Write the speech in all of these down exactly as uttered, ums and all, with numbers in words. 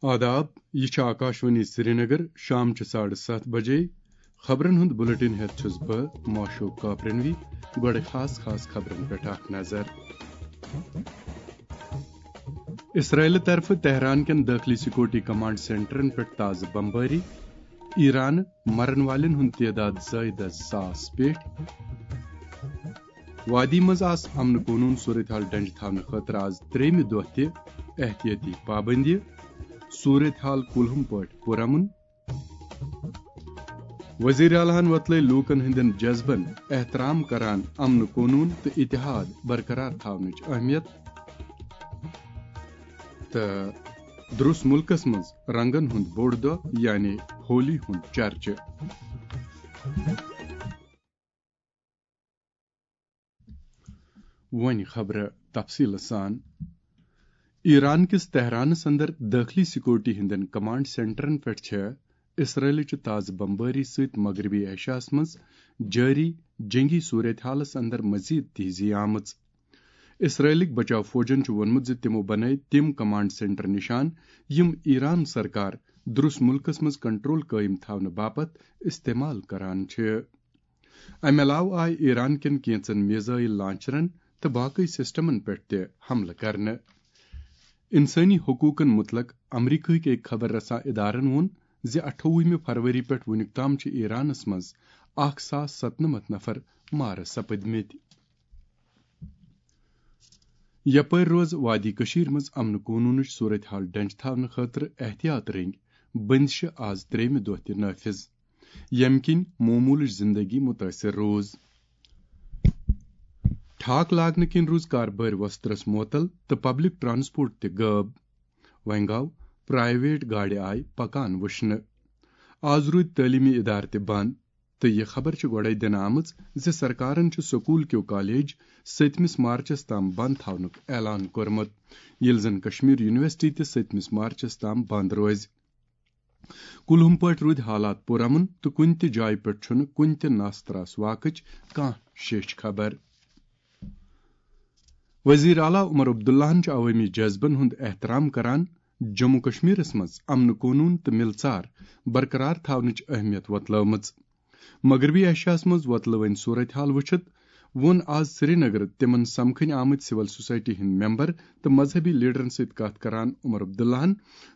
آداب، یہِ چھِ آکاشوانی سرینگر، شام چہِ ساڑٕ ستھ بجے۔ خبرن ہُنٛد بُلٹن ہٮ۪تھ چھُس بہٕ ماشوق کاپرنوی۔ گۄڈٕ خاص خاص خبرن پٮ۪ٹھ اکھ نظر۔ اسرائیلہٕ طرفہٕ تہران کٮ۪ن دٲخلی سیکورٹی کمانڈ سینٹرن پٮ۪ٹھ تازٕ بمبٲری۔ ایران، مرن والٮ۪ن ہُنٛد تعداد زٲیدٕ ساس پٮ۪ٹھ۔ وادی منٛز آس امن قونوٗن صورتحال ڈنٛجہِ تھاونہٕ خٲطرٕ آز ترٛیٚیمہِ دۄہ تہِ احتیاطی پابندی۔ صورتحال کُلہُم پٲٹھۍ پُرامن۔ وزیر اعلیٰ ہن وۄتلٲے لوٗکن ہٕنٛدٮ۪ن جذبن احترام کران امن قونوٗن تہٕ اتحاد برقرار تھاونٕچ اہمیت۔ تہٕ درُس مُلکس منٛز رنگن ہُنٛد بوٚڑ دۄہ یعنی ہولی ہُنٛد چرچہٕ۔ وۄنۍ خبرٕ تفصیٖلہٕ سان۔ ایران کِس تہرانس اندر دٲخلی سیکورٹی ہٕنٛدٮ۪ن کمانڈ سینٹرن پٮ۪ٹھ چھےٚ اسرائیلٕچہِ تازٕ بمبٲری سۭتۍ مغربی ایشیاہس منٛز جٲری جنگی صورتحالس اندر مزید تیزی آمٕژ۔ اسرائیلٕکۍ بچاو فوجن چھُ ووٚنمُت زِ تِمو بنٲوۍ تِم کمانڈ سینٹر نشان، یِم ایران سرکار درُس مُلکس منٛز کنٹرول قٲیِم تھاونہٕ باپتھ استعمال کران چھِ۔ امہِ علاوٕ آیہِ ایران کٮ۪ن کینٛژن میزائل لانچرن تہٕ باقی سسٹمن پٮ۪ٹھ تہِ حملہٕ کرنہٕ۔ انسٲنی حقوقن متعلق امریکہٕکۍ أکۍ خبر رساں ادارن ووٚن زِ اَٹھووُہمہِ فروری پٮ۪ٹھ وُنیُک تام چھِ ایرانس منٛز اکھ ساس ستنمتھ نفر مارٕ سپٕدمٕتۍ۔ یپٲرۍ روز وادی کٔشیٖر منٛز امن قونوٗنٕچ صورتحال ڈنٛجہِ تھاونہٕ خٲطرٕ احتیاط رٔنگۍ بندشہٕ آز ترٛیٚیمہِ دۄہ تہِ نافذ، ییٚمہِ کِنۍ معموٗلٕچ زندگی مُتٲثر روٗز۔ ٹھاک لاگنہٕ کِنۍ روٗز کاربٲرۍ وۄسترس معطل تہٕ پبلک ٹرانسپورٹ تہِ غٲب۔ وۄنۍ گوٚو پرائیویٹ گاڑِ آیہِ پکان وٕچھنہٕ۔ آز روٗدۍ تعلیمی ادارٕ تہِ بند، تہٕ یہِ خبر چھِ گۄڈَے دِنہٕ آمٕژ زِ سرکارن چھُ سکوٗل کیو کالج سٔتمِس مارچس تام بند تھاونُک اعلان کوٚرمُت، ییٚلہِ زن کشمیر یونیورسٹی تہِ سٔتمِس مارچس تام بند روزِ۔ کُلہُم پٲٹھۍ روٗدۍ حالات پُرامن تہٕ کُنہِ تہِ جایہِ پٮ۪ٹھ چھُنہٕ کُنہِ تہِ ناس تراس واقٕچ کانٛہہ شیچھ خبر۔ وزیر اعلیٰ عمر عبداللہن چھُ عوٲمی جذبن ہُنٛد احترام کران۔ جموں کشمیرس منٛز امن قونوٗن تہٕ مِلژار برقرار تھاونٕچ اہمیت وۄتلٲومٕژ۔ مغربی ایشیاہس منٛز وۄتلٲوٕنۍ صورتحال وٕچھِتھ ووٚن آز سرینگر تِمن سمکھٕنۍ آمٕتۍ سول سوسائٹی ہٕنٛدۍ ممبر تہٕ مذہبی لیڈرن سۭتۍ کتھ کران عمر عبداللہن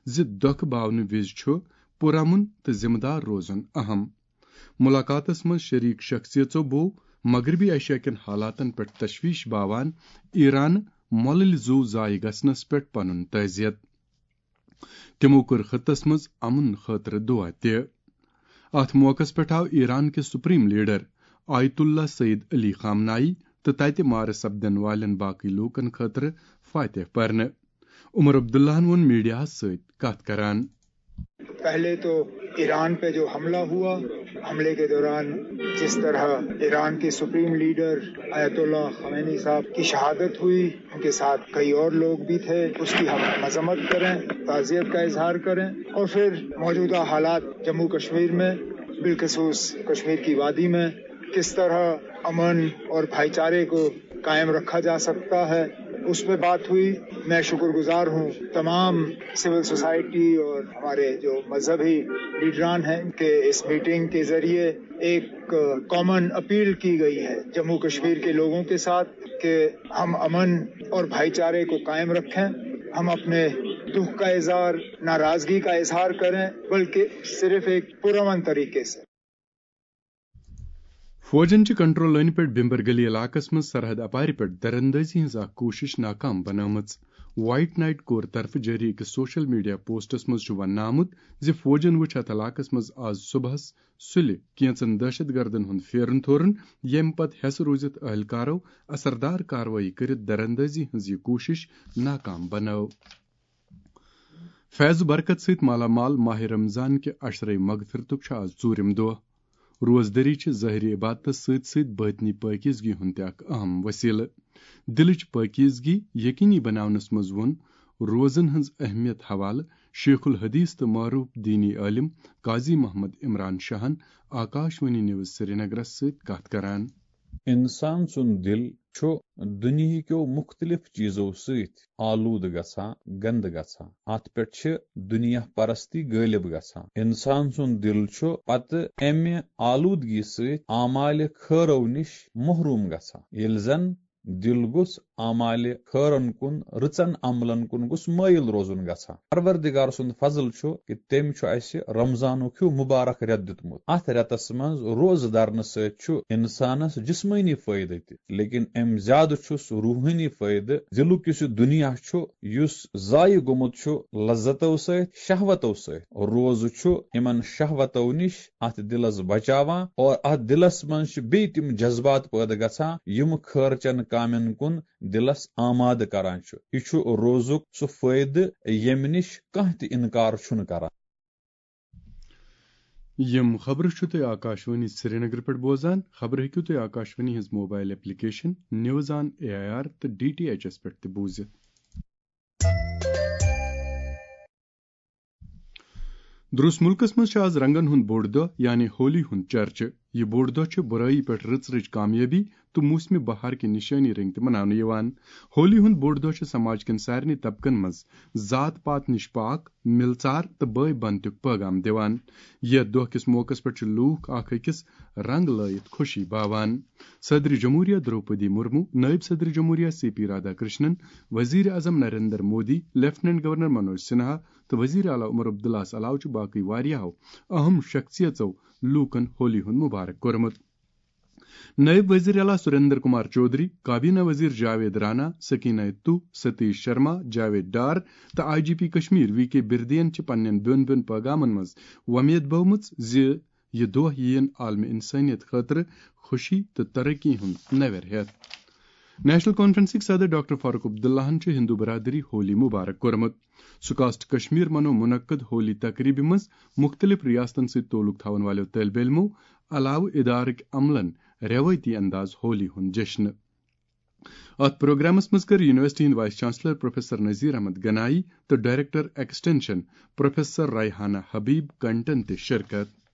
زِ دۄکھٕ باونہٕ وِزِ چھُ پُرامن تہٕ ذمہٕ دار روزُن اہم۔ مُلاقاتس منٛز شریٖک شخصیژو بوو مغربی ایشیا کٮ۪ن حالاتن پٮ۪ٹھ تشویش باوان ایران مۄلٕلۍ زُو ضایع گژھنس پٮ۪ٹھ پنُن تعزیت۔ تِمو کٔر خطس منٛز امن خٲطرٕ دُعا تہِ۔ اتھ موقعس پٮ۪ٹھ آو ایران کِس سپریم لیڈر آیت اللہ سید علی خامنائی تہٕ تتہِ مارٕ سپدن والٮ۪ن باقٕے لوٗکن خٲطرٕ فاتح پرنہٕ۔ عمر عبداللہن ووٚن میڈیاہس سۭتۍ کتھ کران۔ پہلے تو ایران پہ جو حملہ ہوا، حملے کے دوران جس طرح ایران کے سپریم لیڈر آیت اللہ خامنہ ای صاحب کی شہادت ہوئی، ان کے ساتھ کئی اور لوگ بھی تھے، اس کی ہم مذمت کریں، تعزیت کا اظہار کریں، اور پھر موجودہ حالات جموں کشمیر میں، بالخصوص کشمیر کی وادی میں کس طرح امن اور بھائی چارے کو قائم رکھا جا سکتا ہے، اس پہ بات ہوئی۔ میں شکر گزار ہوں تمام سول سوسائٹی اور ہمارے جو مذہبی لیڈران ہیں کہ اس میٹنگ کے ذریعے ایک کامن اپیل کی گئی ہے جموں کشمیر کے لوگوں کے ساتھ کہ ہم امن اور بھائی چارے کو قائم رکھیں، ہم اپنے دکھ کا اظہار، ناراضگی کا اظہار کریں، بلکہ صرف ایک پرامن طریقے سے۔ فوجن چھِ کنٹرول لٲنہِ پٮ۪ٹھ بھمبر گلی علاقس منٛز سرحد اپارِ پٮ۪ٹھ دراندازی ہٕنٛز اکھ کوٗشش ناکام بنٲومٕژ۔ وائٹ نائٹ کور طرفہٕ جٲری أکِس سوشل میڈیا پوسٹس منٛز چھُ وننہٕ آمُت زِ فوجن وُچھ اتھ علاقس منٛز آز صبحس سُلہِ کینژن دہشت گردن ہُنٛد پھیرُن تھورُن، ییٚمہِ پتہٕ ہٮ۪سہٕ روٗزِتھ اہلکارو اثردار کاروٲیی کٔرِتھ دراندازی ہٕنٛز یہِ کوٗشش ناکام بنٲو۔ فیض و برکت سۭتۍ مالا مال ماہِ رمضان کہِ عشرے مغفرتُک چھُ آز ژوٗرِم دۄہ۔ روزدٔری چھِ ظٲہری عبادتس سۭتۍ سۭتۍ باطنی پٲکیزگی ہُنٛد تہِ اکھ اہم وسیلہٕ۔ دِلٕچ پٲکیزگی یقینی بناونس منٛز ووٚن روزن ہٕنٛز اہمیت حوالہٕ شیخ الحدیث تہٕ معروف دینی عٲلم قاضی محمد عمران شاہن آکاشوانی نیوز سرینگرس سۭتۍ کتھ کران۔ انسان سُنٛد دِل چھُ دُنیہکیو مُختٔلِف چیٖزو سۭتۍ آلوٗدٕ گژھان، گنٛدٕ گژھان۔ اتھ پٮ۪ٹھ چھِ دُنیا پرستی غٲلب گژھان۔ انسان سُنٛد دِل چھُ پتہٕ امہِ آلوٗدگی سۭتۍ اعمالِ خٲرو نِش محروٗم گژھان۔ ییٚلہِ زن دِل گوٚژھ اعمالِ خٲرن کُن، رٕژن عملن کُن گوٚژھ مٲیِل روزُن گژھان۔ پروردگار سُنٛد فضل چھُ کہِ تٔمۍ چھُ اَسہِ رمضانُک ہیوٗ مُبارک رٮ۪تھ دیُتمُت۔ اَتھ رٮ۪تس منٛز روزٕ دارنہٕ سۭتۍ چھُ اِنسانس جسمٲنی فٲیدٕ تہِ، لیکن اَمہِ زیادٕ چھُس روحٲنی فٲیدٕ۔ دِلُک یُس یہِ دُنیا چھُ، یُس ضایع گوٚمُت چھُ لذتو سۭتۍ، شہوتو سۭتۍ۔ روزٕ چھُ یِمن شہوتو نِش اتھ دِلس بچاوان اور اتھ دِلس منٛز چھِ بیٚیہِ تِم جذبات پٲدٕ گژھان، یِم خٲرچن کامٮ۪ن کُن دِلس آمادٕ کران چھُ۔ یہِ چھُ روزُک سُہ فٲیدٕ، ییٚمہِ نِش کانٛہہ تہِ انکار چھُنہٕ کران۔ یِم خبرٕ چھِو تُہۍ آکاشوانی سرینگرٕ پٮ۪ٹھ بوزان۔ خبرٕ ہیٚکِو تُہۍ آکاشوانی ہٕنٛز mobile application news on A I R تہٕ ڈی ٹی ایچ ایس پٮ۪ٹھ تہِ بوٗزِتھ۔ درٛوس مُلکس منٛز چھُ آز رنگن ہُنٛد بوٚڑ دۄہ، یعنی ہولی ہُنٛد چرچہٕ۔ یہِ بوٚڑ دۄہ چھُ بُرٲیی پٮ۪ٹھ رٕژ رٕژ کامیٲبی تہٕ موسمِ بہار کہِ نِشٲنی رٔنٛگۍ تہِ مناونہٕ یِوان۔ ہولی ہُنٛد بوٚڑ دۄہ چھُ سماج کٮ۪ن سارنٕے طبقن منٛز ذات پات نِش پاک، مِلژار تہٕ بٲے بنتُک پٲغام دِوان۔ یتھ دۄہ کِس موقعس پٮ۪ٹھ چھِ لوٗکھ اکھ أکِس رنٛگ لٲیِتھ خوشی باوان۔ صدر جمہوریہ درٛوپدی مُرموٗ، نٲیِب صدر جمہوریہ سی پی رادھا کرشنن، وزیر اعظم نریندر مودی، لیفٹیننٹ گورنر منوج سنہا تہٕ وزیر اعلیٰ عمر عبداللہس علاوٕ چھِ باقٕے واریاہو اہم شخصیژو لوٗکن ہولی ہُنٛد مُبارک کوٚرمُت۔ نٲیِب وزیر اعلیٰ سریندر کمار چودھری، کابینہ وزیر جاوید رانا، سکینہ تو، ستیش شرما، جاوید ڈار تہٕ I G P Kashmir V K بردین چھِ پننٮ۪ن بیوٚن بیوٚن پٲغامن منٛز وۄمید بٲومٕژ زِ یہِ دۄہ یِیَن عالمِ انسٲنیت خٲطرٕ خوشی تہٕ ترقی ہُنٛد نویر ہٮ۪تھ۔ نیشنل کانفرنسٕکۍ صدر ڈاکٹر فاروق عبداللہن چھُ ہندو برادری ہولی مبارک کوٚرمُت۔ سکاسٹ کشمیر منوو منعقد ہولی تقریبہِ منٛز مُختٔلِف ریاستن سۭتۍ تعلق تھاون والٮ۪و طٲلبہِ علمو علاوٕ ادارٕکۍ عملن رٮ۪وٲیتی انداز ہولی ہُنٛد جشنہٕ۔ اتھ پروگرامس منٛز کٔر یونیورسٹی ہٕنٛدۍ vice chancellor professor Nazir Ahmad Ganaie تہٕ director extension professor Rehana Habib کنٹن تہِ شرکت۔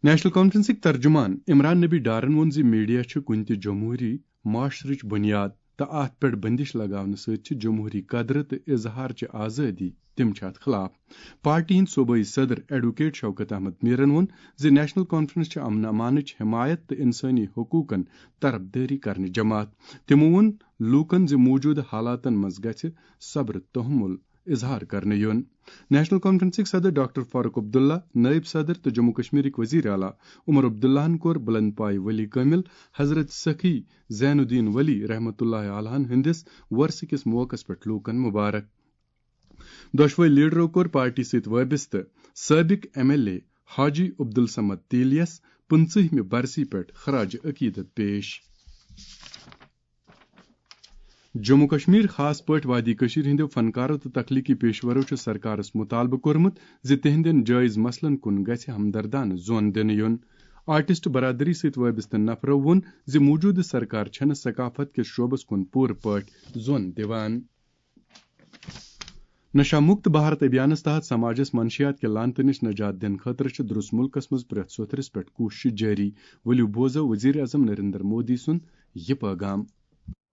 نیشنل کانفرنسٕکۍ ترجمان عمران نبی ڈارن ووٚن زِ میڈیا چھُ کُنہِ تہِ جمہوری معاشرٕچ بُنیاد تہٕ اتھ پٮ۪ٹھ بندش لگاونہٕ سۭتۍ چھِ جمہوری قدرٕ تہٕ اظہارچہِ آزٲدی، تِم چھِ اتھ خلاف۔ پارٹی ہٕنٛدۍ صوبٲئی صدر ایڈوکیٹ شوکت احمد میرن ووٚن زِ نیشنل کانفرنس چھِ امن امانٕچ حمایت تہٕ انسٲنی حقوقن طرفدٲری کرنٕچ جماعت۔ تِمو ووٚن لوٗکن زِ موٗجوٗدٕ حالاتن منٛز گژھِ صبر تحمل اظہار کرنہٕ یُن۔ نیشنل کانفرنسٕکۍ صدر ڈاکٹر فاروق عبداللہ، نٲیِب صدر تہٕ جموں کشمیرٕکۍ وزیر اعلیٰ عمر عبداللہن کوٚر بلند پایہِ ولی کٲمل حضرت سخی زین الدین ولی رحمتہ اللہ علیہن ہٕنٛدِس وۄرثہٕ کِس موقعس پٮ۪ٹھ لوٗکن مبارک۔ دۄشوے لیڈرو کوٚر پارٹی سۭتۍ وابستہٕ سٲبق ایم ایل اے حاجی عبدالصمد تیلیس پٕنٛژٕہمہِ برسی پٮ۪ٹھ خراج عقیدت پیش۔ جموں کشمیر، خاص پٲٹھۍ وادی کٔشیٖر ہٕنٛدیو فنکارو تہٕ تخلیقی پیشورو چھُ سرکارس مُطالبہٕ کوٚرمُت زِ تِہنٛدٮ۪ن جٲیز مسلن کُن گژھِ ہمدردانہٕ زون دِنہٕ یُن۔ آرٹسٹ برادری سۭتۍ وابستہٕ نفرو ووٚن زِ موٗجوٗدٕ سرکار چھَنہٕ ثقافت کِس شعبس کُن پوٗرٕ پٲٹھۍ زون دِوان۔ نشہ مکت بھارت ابھیانس تحت سماجس منشیات کہِ لعنتہٕ نِش نجات دِنہٕ خٲطرٕ چھِ درُس مُلکس منٛز پرٛٮ۪تھ سوٚتھرِس پٮ۪ٹھ کوٗششہٕ جٲری۔ ؤلِو بوزو وزیر اعظم نریندر مودی سُنٛد یہِ پٲغام۔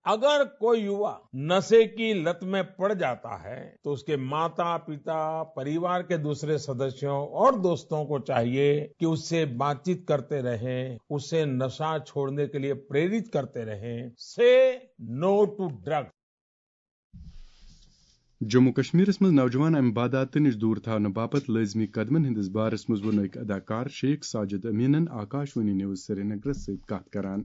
اگر کوئی یوا नशे की लत में पड़ जाता है, तो उसके माता, पिता, परिवार के दूसरे सदस्यों और दोस्तों को चाहिए कि उससे बातचीत करते रहें, उसे नशा छोड़ने के लिए प्रेरित करते रहें। Say no to drugs. Jammu کشمیرس منٛز نوجوان امہِ بدعاتہٕ نِش دوٗر تھاونہٕ باپتھ لٲزمی قدمن ہٕنٛدِس بارس منٛز ووٚن أکۍ اداکار شیخ ساجد امیٖنن آکاش وانی نیوز سرینگرس سۭتۍ کتھ کران۔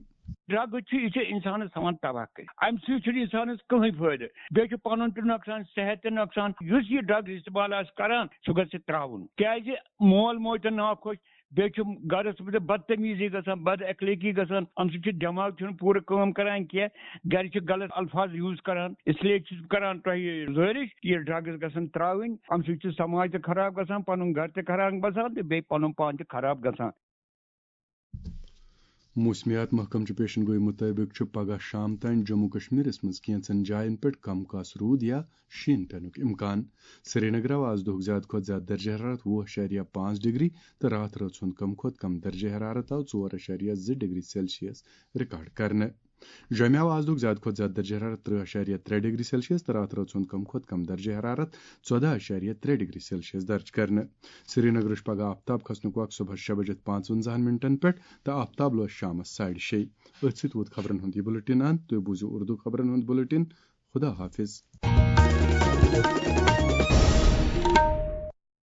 ڈرگ چھُ، یہِ چھُ انسانس تھاوان تباہ کٔرِتھ۔ امہِ سۭتۍ چھُنہٕ انسانس کٕہٕنۍ فٲیدٕ۔ بیٚیہِ چھُ پنُن تہِ نۄقصان، صحت تہِ نۄقصان۔ یُس یہِ ڈرگ استعمال آسہِ کران، سُہ گژھِ ترٛاوُن۔ کیازِ مول موج تہِ ناخۄش، بیٚیہِ چھُ گرس منٛز بدتمیزی گژھان، بد اخلٲقی گژھان۔ امہِ سۭتۍ چھُ دٮ۪ماغ چھُنہٕ پوٗرٕ کٲم کران کینٛہہ، گرِ چھِ غلط الفاظ یوٗز کران۔ اس لیے چھُس بہٕ کران تۄہہِ گُزٲرِش، یہِ ڈرگس گژھن ترٛاوٕنۍ۔ امہِ سۭتۍ چھُ سماج تہِ خراب گژھان، پنُن گرٕ تہِ خراب گژھان تہٕ بیٚیہِ پنُن پان تہِ خراب گژھان۔ موسمیات محکمہٕ چہِ پیشن گوئی مُطٲبِق چھُ پگہہ شام تام جموں کشمیرس منٛز کینٛژن جاین پٮ۪ٹھ کم کاس روٗد یا شیٖن پینُک امکان۔ سرینگرٕ آو آز دۄہُک زیادٕ کھۄتہٕ زیادٕ درجہ حرارت وُہ اَشاریہ پانٛژھ ڈگری تہٕ راتھ رٲژ ہُنٛد کم کھۄتہٕ کم درجہ حرارت آو ژور اَشاریہ زٕ ڈگری سیلسیس ریکارڈ کرنہٕ۔ جوٚمہِ آو آز دۄہُک زیادٕ کھۄتہٕ زیادٕ درجہ حرارت ترٕٛہ اَشاریہ ترٛےٚ ڈگری سیلسیس تہٕ راتھ رٲژ ہُنٛد کم کھۄتہٕ کم درجہ حرارت ژۄدہ اَشاریہ ترٛےٚ ڈگری سیلسیس درج کرنہٕ۔ سرینگرٕچ پگہہ آفتاب کھسنُک وقت صبحس شےٚ بجے پانٛژونٛزاہن منٹن پٮ۪ٹھ تہٕ آفتاب لوس شامس ساڑِ شیٚیہِ۔ أتھۍ سۭتۍ ووت خبرن ہُنٛد یہِ بُلٹن اند۔ تُہۍ بوٗزِو اردو خبرن ہُنٛد بُلٹن۔ خدا حافظ۔